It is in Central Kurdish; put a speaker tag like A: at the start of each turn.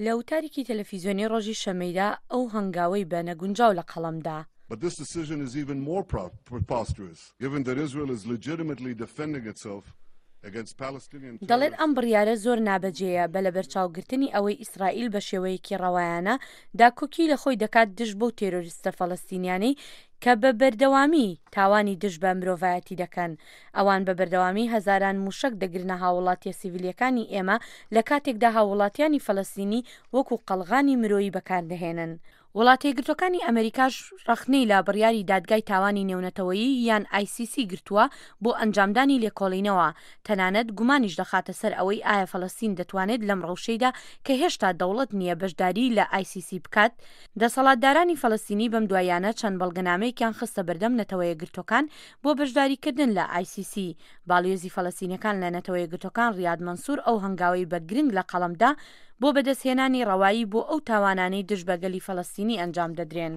A: لە وتارێکی تەلەفیزیۆنی ڕۆژی شەممەیدا ئەو هەنگاوەی بە نەگونجاو لە قەڵەم دا.
B: But this decision is even more preposterous given that Israel is legitimately defending itself against Palestinian
A: دەڵێت
B: terrorists.
A: ئەم بڕیارە زۆر نابەجێیە بە لەبەرچاوگرتنی ئەوەی ئیسرائیل بە شێوەیەکی ڕەوایانە داکۆکی لە خۆی دەکات دژ بەو تێرۆریستە فەلەستینیانەی کە بە بەردەوامی تاوانی دژ بە مرۆڤایەتی دەکەن. ئەوان بە بەردەوامی هەزاران موشەک دەگرنە هاووڵاتیە سیڤیلیەکانی ئێمە لە کاتێکدا هاووڵاتیانی فەلەستینی وەکو قەڵغانی مرۆیی بەکاردەهێنن. وڵاتەیەکگرتوەکانی ئەمەریکاش ڕەخنەی لە بڕیاری دادگای تاوانی نێونەتەوەیی یان ICC گرتووە بۆ ئەنجامدانی لێکۆڵینەوە، تەنانەت گومانیش دەخاتە سەر ئەوەی ئایا فەلەستین دەتوانێت لەم ڕەوشەیدا کە هێشتا دەوڵەت نییە بەشداریی لە ICC بکات. دەسەڵاتدارانی فەلەستینی بەم دواییانە چەند بەڵگەنامەیەکیان خستە بەردەم نەتەوەیەکگرتوەکان بۆ بەشداریکردن لە ICC. باڵیۆزی فەلەستینەکان لە نەتەوەیەکگرتوەکان ڕیاد مەنسور ئەو هەنگاوەی بە گرنگ لە قەڵەم دا بۆ بەدەستهێنانی ڕەوایی بۆ ئەو تاوانانەی دژ بە گەلی فەلەستینی ئەنجام دەدرێن.